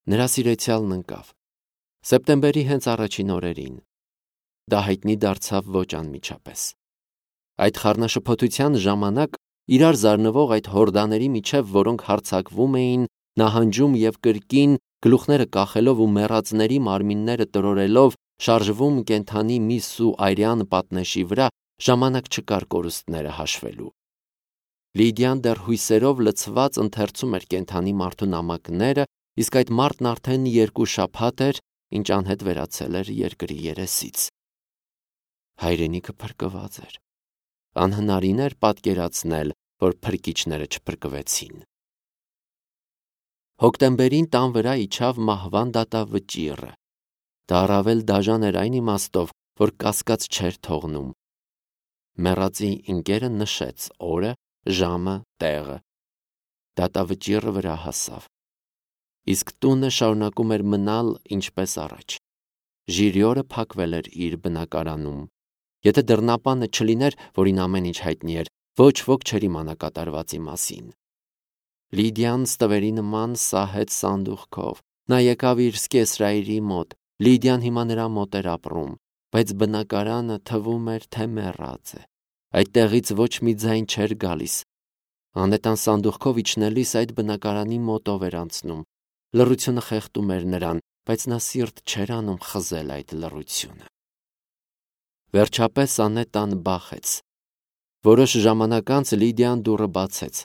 Նրա սիրեցյալն ընկավ։ Սեպտեմբերի հենց առաջին օրերին։ Դա հայտնի դարձավ ոչ անմիջապես։ Այդ խառնաշփոթության ժամանակ իրար զարնվող այդ հորդաների միջև, որոնք հարձակվում էին, նահանջում և կրկին, գլուխները կախելով ու մեռածների մարմինները տրորելով, շարժվում կենդանի միս ու այրյան պատնեշի վրա, ժամանակ չկար կորուստները հաշվելու։ Լիդիան դեռ հույսերով լցված ընթերցում էր կենդանի մարդու նամակները, իսկ այդ մարդն արդեն 2 շաբաթ էր, ինչ անհետ վերացել էր երկրի երեսից։ Հայրենիքը փրկված էր։ Անհնարին էր պատկերացնել, որ փրկիչները չփրկվեցին։ Հոկտեմբերին տան վրա իջավ մահվան դատավճիռը։ Դա առավել դաժան էր այն իմաստով, որ կասկած չէր թողնում։ Մեռածի ընկերը նշեց օրը, ժամը, տեղը։ Դատավճիռը վրա հասավ։ Իսկ տունը շարունակում էր մնալ ինչպես առաջ։ Ժիրիորը փակվել էր իր բնակարանում։ Եթե դռնապանը չլիներ, որին ամեն ինչ հայտնի էր, ոչ ոք չէր իմանա կատարվածի մասին։ Լիդիան ստվերի նման սահեց սանդուղքով։ Նա եկավ իր սկեսրայրի մոտ։ Լիդիան հիմա նրա մոտ էր ապրում, բայց բնակարանը թվում էր, թե մեռած է։ Այդտեղից ոչ մի ձայն չէր գալիս։ Անետան սանդուղքով իջնելիս այդ բնակարանի մոտով էր անցնում։ Լռությունը խեղդում էր նրան, բայց նա սիրտ չէր անում խզել այդ լռությունը։ Վերջապես Անետան բախեց։ Որոշ ժամանակ անց Լիդիան դուռը բացեց։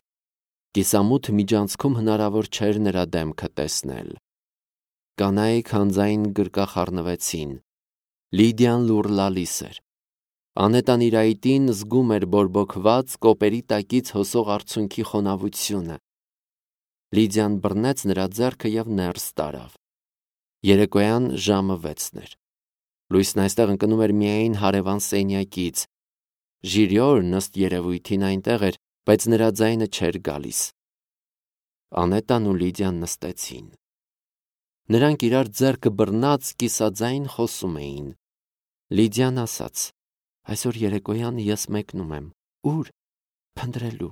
Կիսամութ միջանցքում հնարավոր չէր նրա դեմքը տեսնել։ Կանայք հանձայն գրկախառնվեցին։ Լիդիան լուռ լալիս էր։ Անետան իր այտին զգում էր բորբոքված կոպերի տակից հոսող արցունքի խոնավությունը։ Լիդիան բռնեց նրա ձեռքը և ներս տարավ։ Երեկոյան ժամը 6-ն էր։ Լույսն այստեղ ընկնում էր միայն հարևան սենյակից։ Ժիրիորն ըստ երևույթին այնտեղ էր, բայց նրա ձայնը չէր գալիս։ Անետան ու Լիդիան նստեցին։ Նրանք իրար ձեռքը բռնած կիսաձայն խոսում էին։ Լիդիան ասաց. «Այսօր երեկոյան ես մեկնում եմ։ Ուր»։ «Փնտրելու»։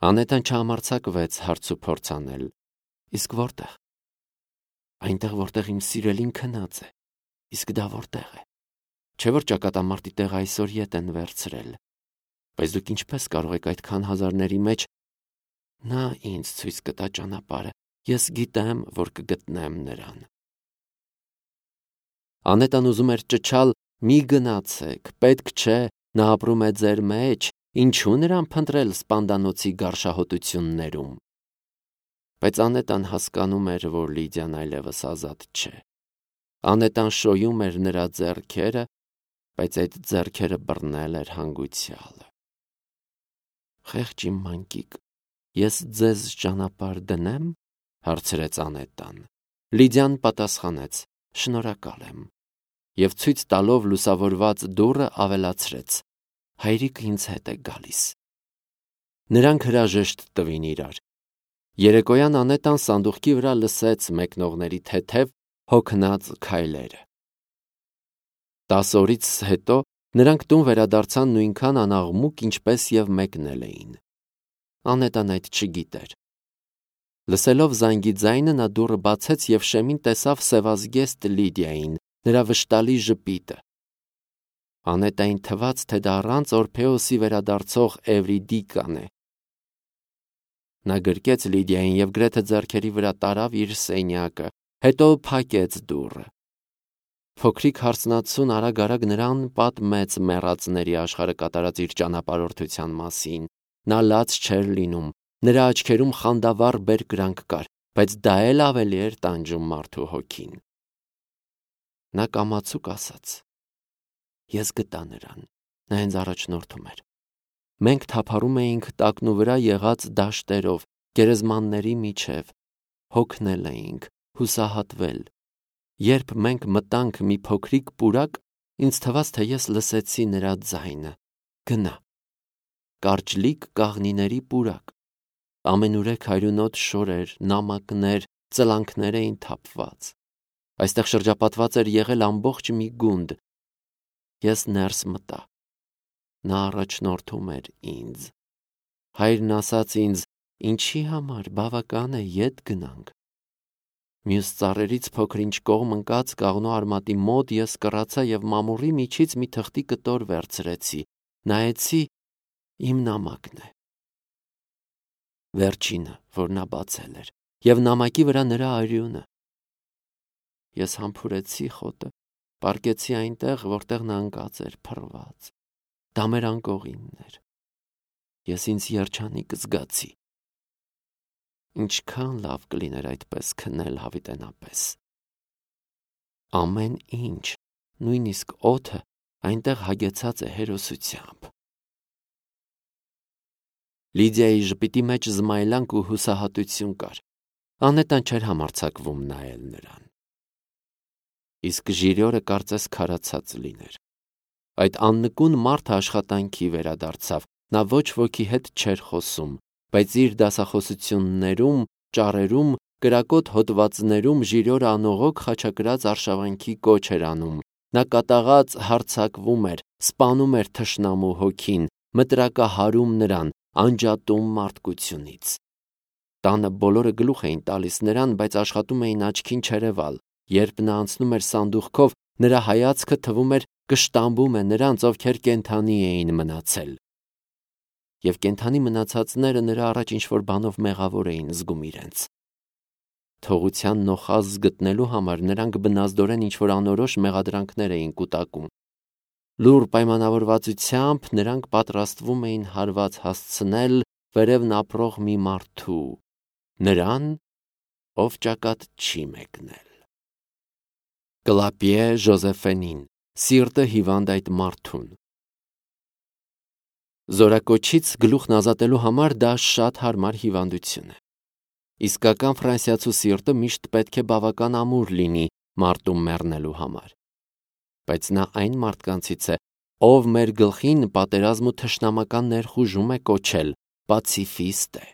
Անետան չհամարձակվեց հարց ու փորձ անել։ «Իսկ որտեղ»։ «Այնտեղ, որտեղ իմ սիրելին քնած է»։ «Իսկ դա որտեղ է»։ «Չէ՞ որ ճակատամարտի տեղը այսօր ետ են վերցրել»։ «Բայց դուք ինչպես կարող եք այդքան հազարների մեջ»։ «Նա ինձ ցույց կտա ճանապարհը։ Ես գիտեմ, որ կգտնեմ նրան»։ Անետան ուզում էր ճչալ. «Մի գնացեք, պետք չէ, նա ապրում է ձեր մեջ, ինչու նրան փնտրել սպանդանոցի գարշահոտություններում»։ Բայց Անետան հասկանում էր, որ Լիդիան այլևս ազատ չէ։ Անետան շոյում էր նրա ձեռքերը, բայց այդ ձեռքերը բռնել էր հանգուցյալը։ «Խեղճ իմ մանկիկ, ես ձեզ ճանապարհ դնե՞մ», հարցրեց Անետան։ Լիդիան պատասխանեց. «Շնորհակալ եմ» և ցույց տալով լուսավորված դուռը ավելացրեց. «Հայրիկը ինձ հետ է գալիս»։ Նրանք հրաժեշտ տվին իրար։ Երեկոյան Անետան սանդուղքի վրա լսեց մեկնողների թեթև, հոգնած քայլերը։ 10 օրից հետո նրանք տուն վերադարձան նույնքան անաղմուկ, ինչպես և մեկնել էին։ Անետան այդ չգիտեր։ Լսելով զանգի ձայնը նա դուռը բացեց և շեմին տեսավ սևազգեստ Լիդիային, նրա վշտալի ժպիտը։ Անետային թվաց, թե դա առանց Օրփեոսի վերադարձող Էվրիդիկան է։ Նա գրկեց Լիդիային և գրեթե ձեռքերի վրա տարավ իր սենյակը, հետո փակեց դուռը։ Փոքրիկ հարցնացուն արագ-արագ նրան պատմեց մեռածների աշխարհը կատարած իր ճանապարհորդության մասին։ Նա լաց չէր լինում, նրա աչքերում խանդավառ բերկրանք կար, բայց դա էլ ավելի էր տանջում մարդու հոգին։ Նա կամացուկ ասաց. «Ես գտա նրան, նա ինձ առաջնորդում էր։ Մենք թափառում էինք տակնու վրա եղած դաշտերով, գերեզմանների միջև, հոգնել էինք, հուսահատվել։ Երբ մենք մտանք մի փոքրիկ պուրակ, ինձ թվաց, թե ես լսեցի նրա ձայնը. գնա։ Կարճլիկ կաղնիների պուրակ։ Ամենուրեք հայրունոտ շորեր, նամակներ, ծլանքներ էին թափված։ Այստեղ շրջապատված էր եղել ամբողջ մի գունդ։ Ես ներս մտա։ Նա առաջնորդում էր ինձ։ Հայրն ասաց ինձ. ինչի համար, բավական է, ետ գնանք։ Մյուս ծառերից փոքր-ինչ կողմ ընկած կաղնու արմատի մոտ ես կռացա եւ մամուռի միջից մի թղթի կտոր վերցրեցի, նայեցի, իմ նամակն է։ Վերջինը, որ նա բացել էր, եւ նամակի վրա նրա արյունը։ Ես համբուրեցի խոտը, պառկեցի այնտեղ, որտեղ նա ընկած էր, փռված։ Դա մեր անկողինն էր։ Ես ինձ երջանիկ զգացի։ Ինչքան լավ կլիներ այդպես քնել հավիտենապես։ Ամեն ինչ, նույնիսկ օդը, այնտեղ հագեցած է հերոսությամբ։ Լիդիայի ժպիտի մեջ զմայլանք ու հուսահատություն կար։ Անետան չէր համարձակվում նայել նրան։ Իսկ Ժիրյորը կարծես քարացած լիներ։ Այդ աննկուն մարդը աշխատանքի վերադարձավ։ Նա ոչ ոքի հետ չէր խոսում, բայց իր դասախոսություններում, ճառերում, կրակոտ հոդվածներում Ժիրյորը անողոք խաչակրած արշավանքի կոչ էր անում։ Նա կատաղած հարձակվում էր, սպանում էր թշնամու հոգին, մտրակահարում նրան, անջատում մարդկությունից։ Տանը բոլորը գլուխ էին տալիս նրան, բայց աշխատում էին աչքին չերևալ։ Երբ նա անցնում էր սանդուղքով, նրա հայացքը թվում էր կշտամբում է նրանց, ովքեր կենդանի էին մնացել։ Եվ կենդանի մնացածները նրա առաջ ինչ-որ բանով մեղավոր էին զգում իրենց։ Թողության նոխազ գտնելու համար նրանք բնազդորեն ինչ-որ անորոշ մեղադրանքներ էին կուտակում։ Լուռ պայմանավորվածությամբ նրանք պատրաստվում էին հարված հասցնել վերևն ապրող մի մարդու, նրան, ով ճակատ չի մեկնել։ Կլապիե Ժոզեֆենին, սիրտը հիվանդ այդ մարդուն։ Զորակոչից գլուխն ազատելու համար դա շատ հարմար հիվանդություն է։ Իսկական ֆրանսիացու սիրտը միշտ պետք է բավական ամուր լինի մարտում մեռնելու համար։ Բայց նա այն մարդկանցից է, ով մեր գլխին պատերազմ ու թշնամական ներխուժում է կոչել, պացիֆիստ է։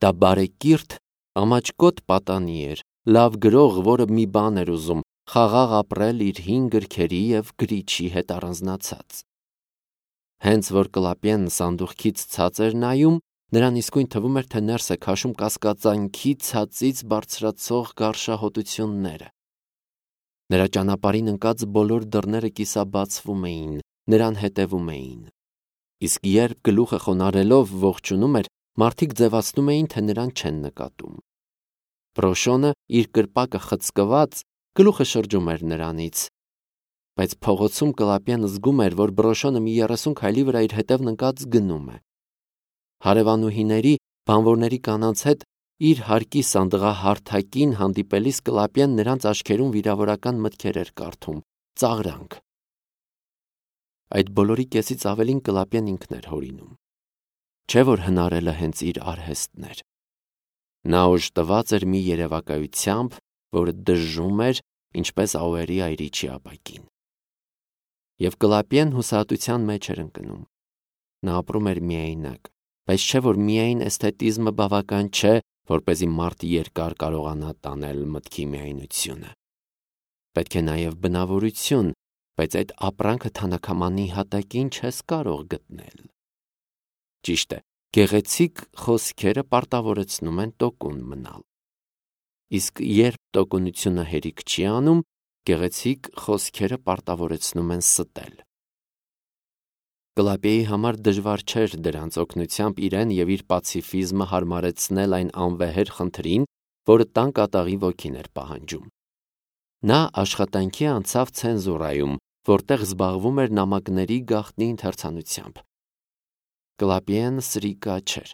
Դա բարեկիրթ, ամաչկոտ պատանի էր, լավ գրող, որը մի բան էր ուզում, խաղաղ ապրել իր հին գրքերի եւ գրիչի հետ առանձնացած։ Հենց որ Կլապիեն սանդուղքից ցած էր նայում, նրան իսկույն թվում էր, թե ներս է քաշում կասկածանքի ցածից բարձրացող գարշահոտությունները։ Նրա ճանապարհին ընկած բոլոր դռները կիսաբացվում էին, նրան հետևում էին։ Իսկ երբ գլուխը խոնարհելով ողջունում էր, մարդիկ ձևացնում էին, թե նրան չեն նկատում։ Պրոշոնը իր կրպակը խցկված գլուխը շրջում էր նրանից, բայց փողոցում Կլապիեն զգում էր, որ Բրոշոնը մի 30 քայլի վրա իր հետևն ընկած գնում է։ Հարևանուհիների, բանվորների կանանց հետ իր հարկի սանդղահարթակին հանդիպելիս Կլապիեն նրանց աչքերում վիրավորական մտքեր էր կարդում, ծաղրանք։ Այդ բոլորի կեսից ավելին Կլապիեն ինքն էր հորինում։ Չէ՞ որ հնարելը հենց իր արհեստն էր։ Նա օժտված էր մի երևակայությամբ, որը դժում էր, ինչպես Աուերի այրիչի ապակին։ Եվ Կլապիեն հուսահատության մեջ էր ընկնում։ Նա ապրում էր միայնակ, բայց չէ՞ որ միայն էսթետիզմը բավական չէ, որպեսզի մարդ երկար կարողանա տանել մտքի միայնությունը։ Պետք է նաև բնավորություն, բայց այդ ապրանքը թանաքամանի հատակին չես կարող գտնել։ Ճիշտ է, գեղեցիկ խոսքերը պարտավորեցնում են տոկուն մնալ։ Իսկ երբ տոկունությունը հերիք չի անում, գեղեցիկ խոսքերը պարտավորեցնում են ստել։ Կլապիեի համար դժվար չէր դրանց օգնությամբ իրեն եւ իր պացիֆիզմը հարմարեցնել այն անվեհեր խնդրին, որը տան կատաղի ոգին էր պահանջում։ Նա աշխատանքի անցավ ցենզուրայում, որտեղ զբաղվում էր նամակների գաղտնի ընթերցանությամբ։ Կլապիեն սրիկա չէր։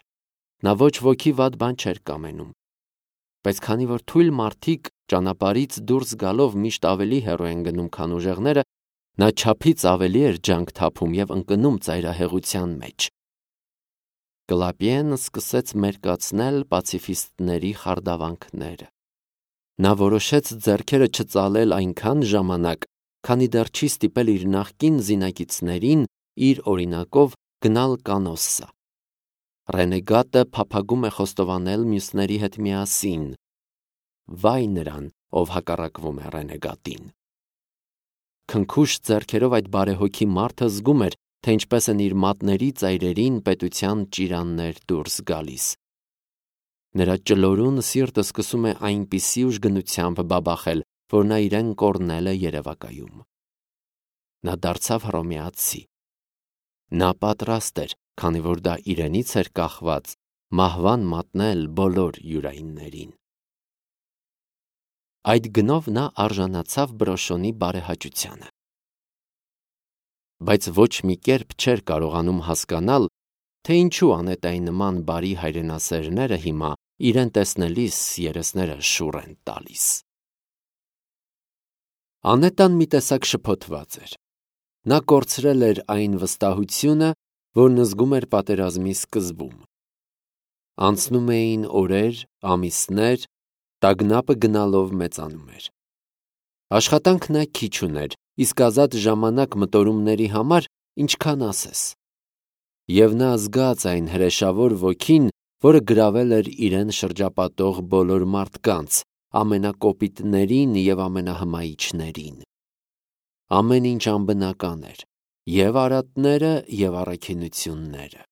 Նա ոչ ոքի վատ բան չէր կամենում։ Բայց քանի որ թույլ մարդիկ ճանապարհից դուրս գալով միշտ ավելի հեռու են գնում, քան ուժեղները, նա չափից ավելի էր ջանք թափում եւ ընկնում ծայրահեղության մեջ։ Կլապիեն սկսեց մերկացնել պացիֆիստների խարդավանքները։ Նա որոշեց ձեռքերը չծալել այնքան ժամանակ, քանի դեռ չի ստիպել իր նախկին զինակիցներին իր օրինակով գնալ կանոսսա։ Ռենեգատը փափագում է խոստովանել մյուսների հետ միասին։ Վայ նրան, ով հակառակվում է ռենեգատին։ Քնքուշ ձեռքերով այդ բարեհոգի մարդը զգում էր, թե ինչպես են իր մատների ծայրերին պետության ճիրաններ դուրս գալիս։ Նրա ճլորուն սիրտը սկսում է այնպիսի ուժգնությամբ բաբախել, որ նա իրեն կորնել է երևակայում։ Նա դարձավ հռոմեացի։ Նա պատրաստ էր, քանի որ դա իրենից էր կախված, մահվան մատնել բոլոր յուրայիններին։ Այդ գնով նա արժանացավ բրոշոնի բարեհաճությանը։ Բայց ոչ մի կերպ չէր կարողանում հասկանալ, թե ինչու Անետայի նման բարի հայրենասերները հիմա իրեն տեսնելիս երեսները շուռ են տալիս։ Անետան մի տեսակ շփոթված էր։ Նա կորցրել էր այն վստահությունը, որն զգում էր պատերազմի սկզբում։ Անցնում էին օրեր, ամիսներ, տագնապը գնալով մեծանում էր։ Աշխատանք նա քիչ ուներ, իսկ ազատ ժամանակ մտորումների համար ինչքան ասես։ Եվ նա զգաց այն հրեշավոր ոգին, որը գրավել էր իրեն շրջապատող բոլոր մարդկանց, ամենակոպիտներին և ամենահմայիչներին։ Ամեն ինչ անբնական էր, և արատները, և առաքինությունները։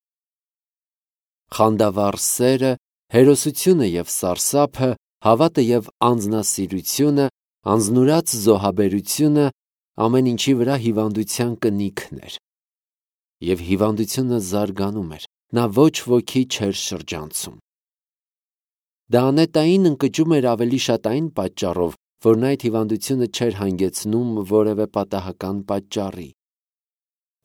Խանդավառ սերը, հերոսությունը և սարսափը, հավատը և անձնասիրությունը, անձնուրաց զոհաբերությունը ամեն ինչի վրա հիվանդության կնիքն էր։ Եվ հիվանդությունը զարգանում էր, նա ոչ ոքի չէր շրջանցում։ Դա Անետային ընկճում էր ավելի շատ այն պատճառով, որ նա այդ հիվանդությունը չէր հանգեցնում որևէ պատահական պատճառի։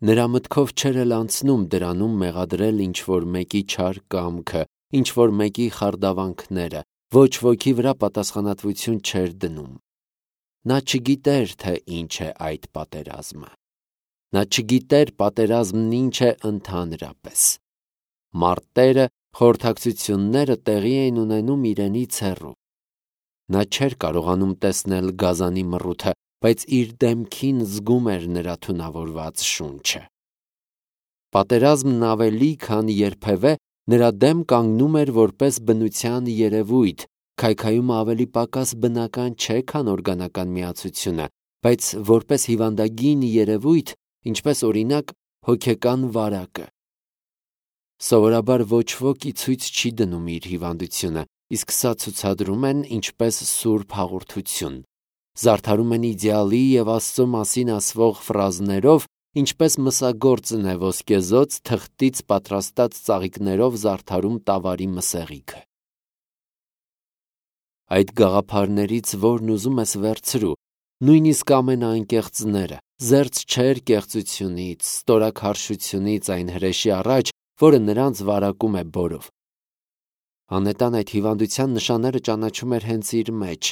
Նրա մտքով չէր էլ անցնում դրանում մեղադրել ինչ-որ մեկի չար կամքը, ինչ-որ մեկի խարդավանքները, ոչ ոքի վրա պատասխանատվություն չէր դնում։ Նա չգիտեր, թե ինչ է այդ պատերազմը։ Նա չգիտեր պատերազմն ինչ է ընդհանրապես։ Մարտերը, խորհրդակցությունները տեղի էին ունենում իրենից հեռու։ Նա չէր կարողանում տեսնել գազանի մռութը, բայց իր դեմքին զգում էր նրա թունավորված շունչը։ Պատերազմն ավելի քան երբևէ նրա դեմ կանգնում էր որպես բնության երևույթ, քայքայումը ավելի պակաս բնական չէ, քան օրգանական միացությունը, բայց որպես հիվանդագին երևույթ, ինչպես օրինակ հոգեկան վարակը։ Սովորաբար ոչ ոք ի ցույց չի դնում իր հիվանդությունը, իսկ սա ցուցադրում են ինչպես սուրբ հաղորդություն։ Զարդարում են իդեալի և Աստծո մասին ասվող ֆրազներով, ինչպես մսագործն է ոսկեզօծ թղթից պատրաստած ծաղիկներով զարդարում տավարի մսեղիքը։ Այդ գաղափարներից որն ուզում ես վերցրու, նույնիսկ ամենաանկեղծները, զերծ չէր կեղծությունից, ստորաքարշությունից այն հրեշի առաջ, որը նրանց վարակում է բորով։ Անետան այդ հիվանդության նշանները ճանաչում էր հենց իր մեջ։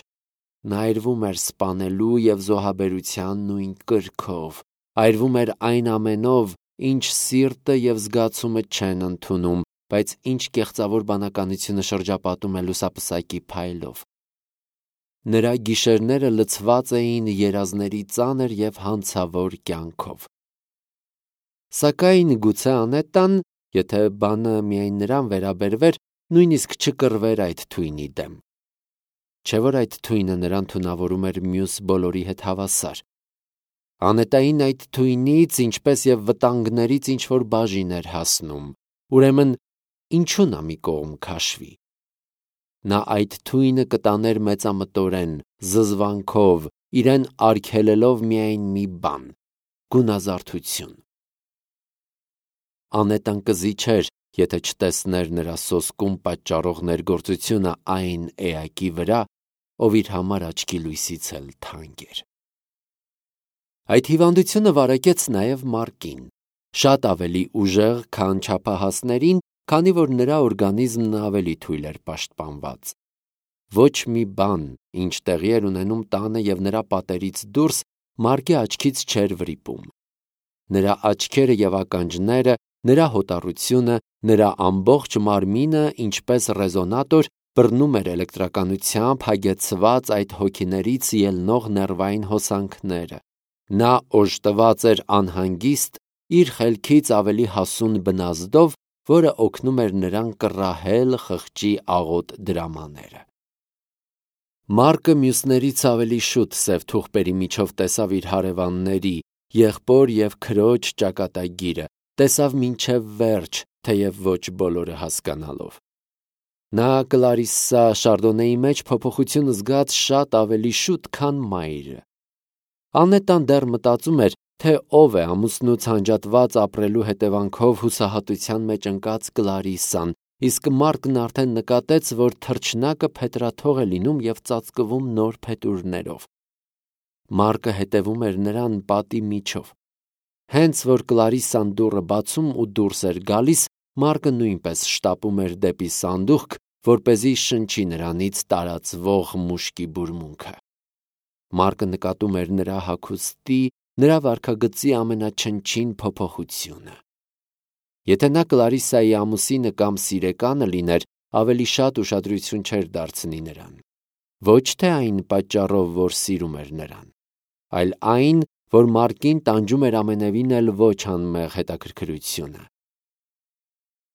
Նա այրվում էր սպանելու և զոհաբերության նույն կրքով, այրվում էր այն ամենով, ինչ սիրտը և զգացումը չեն ընդունում, բայց ինչ կեղծավոր բանականությունը շրջապատում է լուսապսակի փայլով։ Նրա գիշերները լցված էին երազների ծանր և հանցավոր կյանքով։ Սակայն գուցե Անետան, եթե բանը միայն նրան վերաբերվեր, նույնիսկ չկռվեր այդ թույնի դեմ։ Չէ՞ որ այդ թույնը նրան թունավորում էր մյուս բոլորի հետ հավասար։ Անետային այդ թույնից, ինչպես և վտանգներից ինչ-որ բաժին էր հասնում, ուրեմն ինչու նա մի կողմ քաշվի։ Նա այդ թույնը կտաներ մեծամտորեն, զզվանքով, իրեն արգելելով միայն մի բան՝ գունազարդություն։ Անետան կզի չէր, եթե չտեսներ նրա սոսկում պատճառող ներգործությունը այն էակի վրա, ով իր համար աչքի լույսից էլ թանկ էր։ Այդ հիվանդությունը վարակեց նաև Մարկին, շատ ավելի ուժեղ, քան չափահասներին, քանի որ նրա օրգանիզմն ավելի թույլ էր պաշտպանված։ Ոչ մի բան, ինչ տեղի էր ունենում տանը և նրա պատերից դուրս, Մարկի աչքից չէր վրիպում։ Նրա աչքերը և ականջները, նրա հոտառությունը, նրա ամբողջ մարմինը, ինչպես ռեզոնատոր, բռնում էր էլեկտրականությամբ հագեցված այդ հոգիներից ելնող ներվային հոսանքները։ Նա օժտված էր անհանգիստ, իր խելքից ավելի հասուն բնազդով, որը օգնում էր նրան կռահել խղճի աղոտ դրամաները։ Մարկը մյուսներից ավելի շուտ սև թուղթերի միջով տեսավ իր հարևանների, եղբոր և քրոջ ճակատագիրը, տեսավ մինչև վերջ, թեև ոչ բոլորը հասկանալով։ Նա Կլարիսսա Շարդոնեի մեջ փոփոխություն զգաց շատ ավելի շուտ, քան մայրը։ Անետան դեռ մտածում էր, թե ով է ամուսնուց հանջատված ապրելու հետևանքով հուսահատության մեջ ընկած Կլարիսսան, իսկ Մարկն արդեն նկատեց, որ թռչնակը փետրաթող է լինում և ծածկվում նոր փետուրներով։ Մարկը հետևում էր նրան պատի միջով։ Հենց որ Կլարիսսան դուռը բացում ու դուրս էր գալիս, Մարկը նույնպես շտապում էր դեպի սանդուղք, որպեսզի շնչի նրանից տարածվող մուշկի բուրմունքը։ Մարկը նկատում էր նրա հագուստի, նրա վարքագծի ամենաչնչին փոփոխությունը։ Եթե նա Կլարիսսայի ամուսինը կամ սիրեկանը լիներ, ավելի շատ ուշադրություն չէր դարձնի նրան։ Ոչ թե այն պատճառով, որ սիրում էր նրան, այլ այն, որ Մարկին տանջում էր ամենևին էլ ոչ անմեղ հետաքրքրությունը։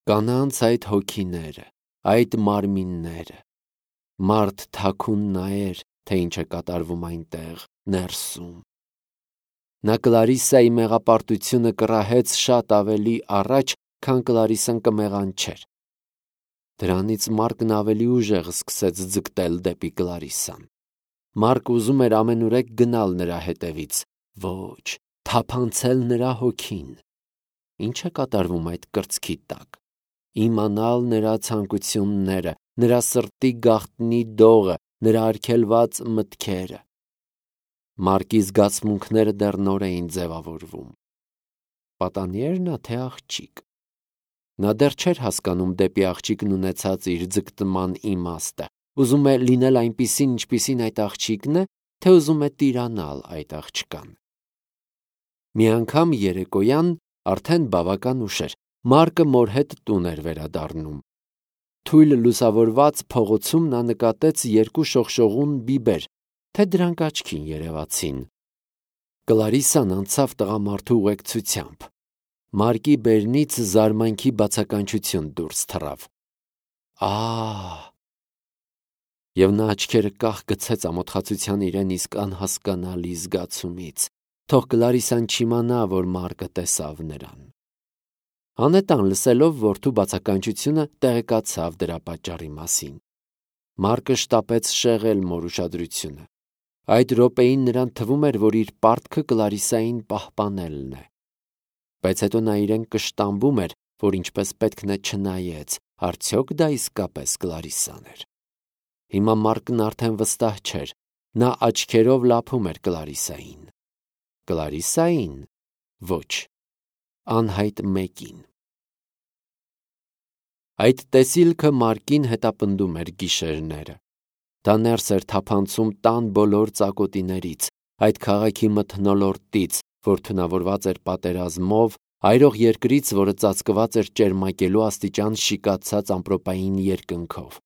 Կանանց այդ հոգիները, այդ մարմինները։ Մարդ թաքուն նայեր, թե ինչ է կատարվում այնտեղ, ներսում։ Նա Կլարիսսայի մեղապարտությունը կռահեց շատ ավելի առաջ, քան Կլարիսսան կմեղանչեր։ Դրանից Մարկն ավելի ուժեղ սկսեց ձգտել դեպի Կլարիսսան։ Մարկը ուզում էր ամենուրեք գնալ նրա հետևից, ոչ, թափանցել նրա հոգին։ Ինչ է կատարվում այդ կրծքի տակ։ Իմանալ նրա ցանկությունները, նրա սրտի գաղտնի դողը, նրա արգելված մտքերը։ Մարկի զգացմունքները դեռ նոր էին ձևավորվում։ Պատանի էր նա, թե աղջիկ։ Նա դեռ չէր հասկանում դեպի աղջիկն ունեցած իր ձգտման իմաստը։ Ուզում է լինել այնպիսին, ինչպիսին այդ աղջիկն է, թե ուզում է տիրանալ այդ աղջկան։ Մի անգամ երեկոյան, արդեն բավական ուշ էր, Մարկը մոր հետ տուն էր վերադառնում։ Թույլ լուսավորված փողոցում նա նկատեց երկու շողշողուն բիբեր, թե դրանք աչքին երևացին։ Կլարիսսան անցավ տղամարդու ուղեկցությամբ։ Մարկի բերնից զարմանքի բացականչություն դուրս թռավ։ Ահ! Եվ նա աչքերը կախ գցեց ամոթխացության իրեն իսկ անհասկանալի զգացումից։ Թող Կլարիսսան չիմանա, որ Մարկը տեսավ նրան։ Անետան լսելով որդու բացականչությունը տեղեկացավ դրա պատճառի մասին։ Մարկը շտապեց շեղել մոր ուշադրությունը։ Այդ րոպեին նրան թվում էր, որ իր պարտքը Կլարիսսային պահպանելն է։ Բայց հետո նա իրեն կշտամբում էր, որ ինչպես պետք է չնայեց, արդյոք դա իսկապես Կլարիսսան էր։ Հիմա Մարկն արդեն վստահ չէր, նա աչքերով լափում էր Կլարիսսային։ Կլարիսսային։ Ոչ, անհայտ մեկին։ Այդ տեսիլքը Մարկին հետապնդում էր գիշերները։ Դա ներս էր թափանցում տան բոլոր ծակոտիներից, այդ քաղաքի մթնոլորտից, որ թունավորված էր պատերազմով, այրող երկրից, որը ծածկված էր ճերմակելու աստիճան շիկացած ամպրոպային երկնքով։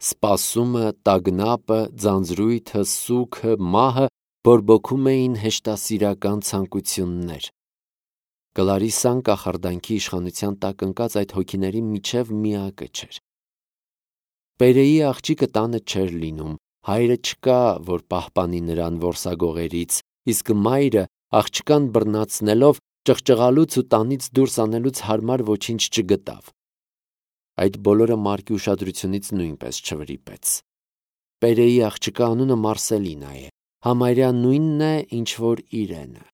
Սպասումը, տագնապը, ձանձրույթը, սուգը, մահը բորբոքում էին հեշտասիրական ցանկություններ։ Կլարիսսան կախարդանքի իշխանության տակ ընկած այդ հոգիների միջև միակը չէր։ Պերեի աղջիկը տանը չէր լինում, հայրը չկա, որ պահպանի նրան որսագողերից, իսկ մայրը աղջկան բռնացնելով ճղճղալուց ու տանից դուրս անելուց հարմար ոչինչ չգտավ։ Այդ բոլորը Մարկի ուշադրությունից նույնպես չվրիպեց։ Պերեի աղջկա անունը Մարսելինա է, համարյա նույնն է, ինչ որ իրենը։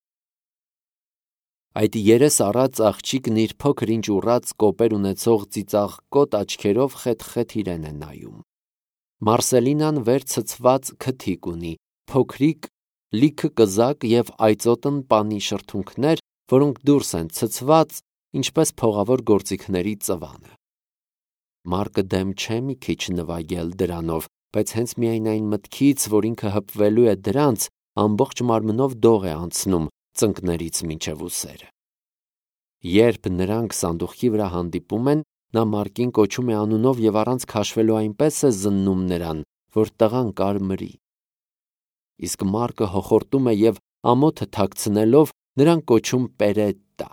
Այդ երես առած աղջիկն իր փոքր ինչ ուռած կոպեր ունեցող ծիծաղկոտ աչքերով խեթ-խեթ իրեն է նայում։ Մարսելինան վեր ցցված քթիկ ունի, փոքրիկ, լիքը կզակ և այծոտն պանի շրթունքներ, որոնք դուրս են ցցված, ինչպես փողավոր գործիքների ծվանը։ Մարկը դեմ չէ մի քիչ նվագել դրանով, բայց հենց միայն այն մտքից, որ ինքը հպվելու է դրանց, ամբողջ մարմնով դող է անցնում ծնկներից մինչև ուսերը։ Երբ նրանք սանդուղքի վրա հանդիպում են, նա Մարկին կոչում է անունով և առանց քաշվելու այնպես է զննում նրան, որ տղան կարմրի։ Իսկ Մարկը հոխորտում է և ամոթը թաքցնելով նրան կոչում Պերետտա։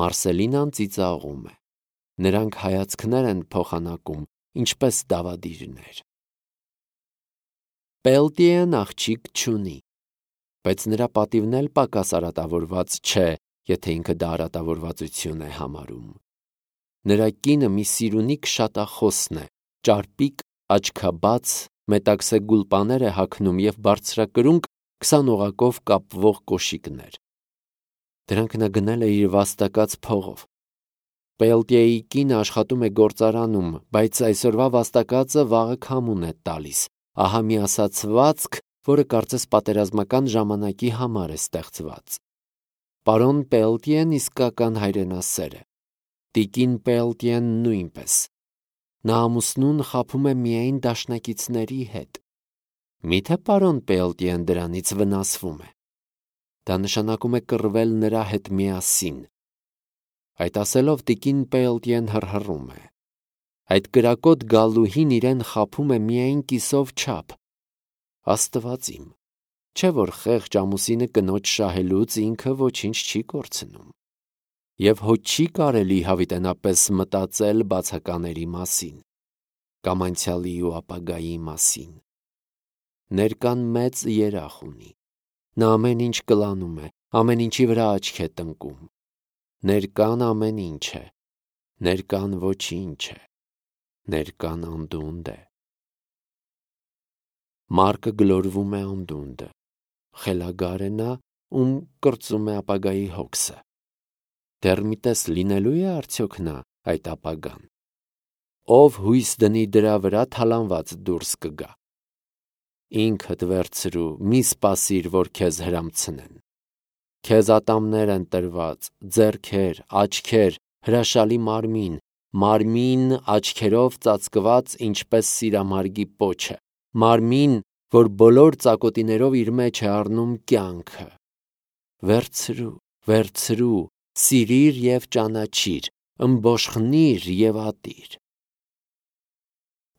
Մարսելինան ծիծաղում է։ Նրանք հայացքներ են փոխանակում, ինչպես դավադիրներ։ Պելտիեն աղջիկ չունի, բայց նրա պատիվն էլ պակաս արատավորված չէ, եթե ինքը դա արատավորվածություն է համարում։ Նրա կինը մի սիրունի քշատախոսն է, ճարպիկ, աչքաբաց, մետաքսե գուլպաներ է հագնում և բարձրակրունկ 20 օղակով կապվող կոշիկներ։ Դրանք նա գնել է իր վաստակած փողով։ Պելտիեի կինը աշխատում է գործարանում, բայց այսօրվա վաստակածը վաղը քամուն է տալիս։ Ահա մի ասացվածք, որը կարծես պատերազմական ժամանակի համար է ստեղծված։ Պարոն Պելտիեն իսկական հայրենասեր է։ Տիկին Պելտիեն նույնպես։ Նա ամուսնուն խաբում է միայն դաշնակիցների հետ։ Միթե պարոն Պելտիեն դրանից վնասվում է։ Դա նշանակում է կռվել նրա հետ միասին։ Այդ ասելով տիկին Պելտիեն հռհռում է։ Այդ կրակոտ գալուհին իրեն խաբում է միայն կիսով չափ։ Աստված իմ, չէ՞ որ խեղճ ամուսինը կնոջ շահելուց ինքը ոչինչ չի կորցնում։ Եվ հո չի կարելի հավիտենապես մտածել բացակաների մասին, կամ անցյալի ու ապագայի մասին։ Ներկան մեծ երախ ունի։ Նա ամեն ինչ կլանում է, ամեն ինչի վրա աչք է տնկում։ Ներկան ամեն ինչ է, ներկան ոչինչ է, ներկան անդունդ է։ Մարկը գլորվում է անդունդը, խելագար է նա, ում կրծում է ապագայի հոգսը։ Դեռ մի տես լինելու է արդյոք նա այդ ապագան։ Ով հույս դնի դրա վրա, թալանված դուրս կգա։ Ինքդ վերցրու, մի սպասիր, որ քեզ հրամցնեն։ Քեզ ատամներ են տրված, ձեռքեր, աչքեր, հրաշալի մարմին, աչքերով ծածկված ինչպես սիրամարգի պոչը, մարմին, որ բոլոր ծակոտիներով իր մեջ է առնում կյանքը։ Վերցրու, վերցրու, սիրիր և ճանաչիր, ըմբոշխնիր և ատիր։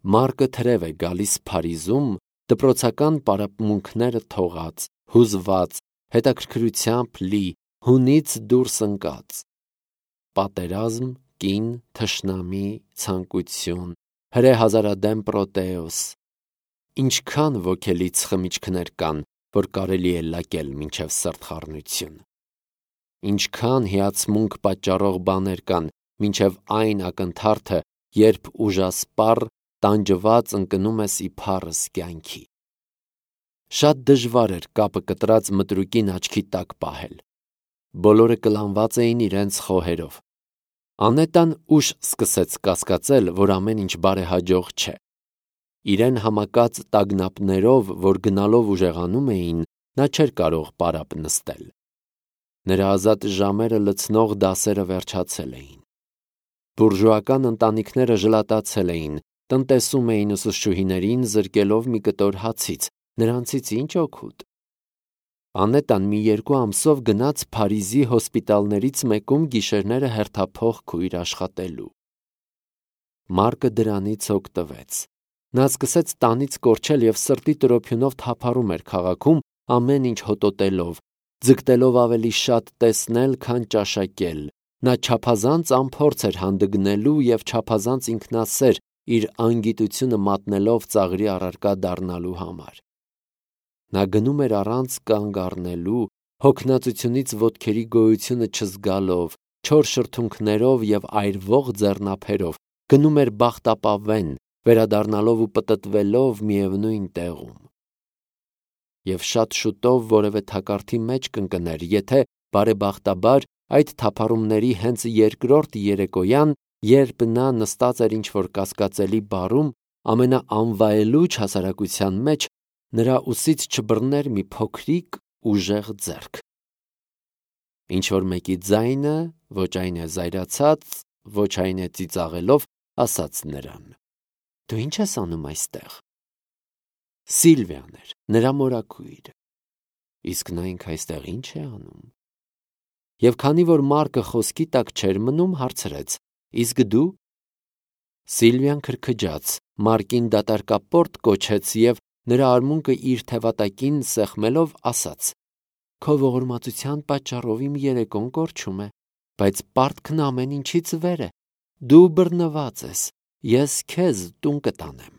Մարկը թրև է գալիս Փարիզում, դպրոցական պարապմունքները թողած, հուզված, հետաքրքրությամբ լի, հունից դուրս ընկած։ Պատերազմ, կին, թշնամի, ցանկություն, հրեհազարադեմ Պրոտեոս։ Ինչքան ոգելից խմիչքներ կան, որ կարելի է լակել մինչև սրտխառնություն։ Ինչքան հիացմունք պատճառող բաներ կան, մինչև այն ակնթարթը, երբ ուժասպառ, տանջված ընկնում ես իբարս կյանքի։ Շատ դժվար էր կապը կտրած մտրուկին աչքի տակ պահել։ Բոլորը կլանված էին իրենց խոհերով։ Անետան ուշ սկսեց կասկածել, որ ամեն ինչ բարեհաջող չէ։ Իրեն համակած տագնապներով, որ գնալով ուժեղանում էին, նա չէր կարող պարապ նստել։ Նրա ազատ ժամերը լցնող դասերը վերջացել էին։ Բուրժուական ընտանիքները ժլատացել էին, տնտեսում էին ուսուցչուհիներին զրկելով մի կտոր հացից, նրանցից ինչ օգուտ։ Անետան մի 2 ամսով գնաց Փարիզի հոսպիտալներից մեկում գիշերները հերթափոխ քույր աշխատելու։ Մարկը դրանից օգտվեց։ Նա սկսեց տանից կորչել և սրտի տրոփյունով թափառում էր քաղաքում, ամեն ինչ հոտոտելով, ձգտելով ավելի շատ տեսնել, քան ճաշակել։ Նա չափազանց անփորձ էր հանդգնելու և չափազանց ինքնասեր իր անգիտությունը մատնելով ծաղրի առարկա դառնալու համար։ Նա գնում էր առանց կանգ առնելու, հոգնածությունից ոտքերի գոյությունը չզգալով, չոր շրթունքներով և այրվող ձեռնափերով, գնում էր բախտապավեն, վերադառնալով ու պտտվելով միևնույն տեղում։ Եվ շատ շուտով որևէ թակարդի մեջ կընկներ, եթե բարեբախտաբար այդ թափառումների հենց երկրորդ երեկոյան, երբ նա նստած էր ինչ-որ կասկածելի բարում, ամենաանվայելուչ հասարակության մեջ, նրա ուսից չբռներ մի փոքրիկ ուժեղ ձեռք։ Ինչ-որ մեկի ձայնը, ոչ այն է զայրացած, ոչ այն է ծիծաղելով, ասաց նրան. «Դու ի՞նչ ես անում այստեղ»։ Սիլվիան էր, նրա մորաքույրը։ Իսկ նա ինքը այստեղ ի՞նչ է անում։ Եվ քանի որ Մարկը խոսքի տակ չէր մնում, հարցրեց. «Իսկ դու»։ Սիլվիան քրքջաց, Մարկին դատարկապորտ կոչեց և նրա արմունկը իր թևատակին սեղմելով ասաց. «Քո ողորմածության պատճառով իմ երեկոն կորչում է, բայց պարտքն ամեն ինչից վեր է։ Դու բռնված ես, ես քեզ տուն կտանեմ»։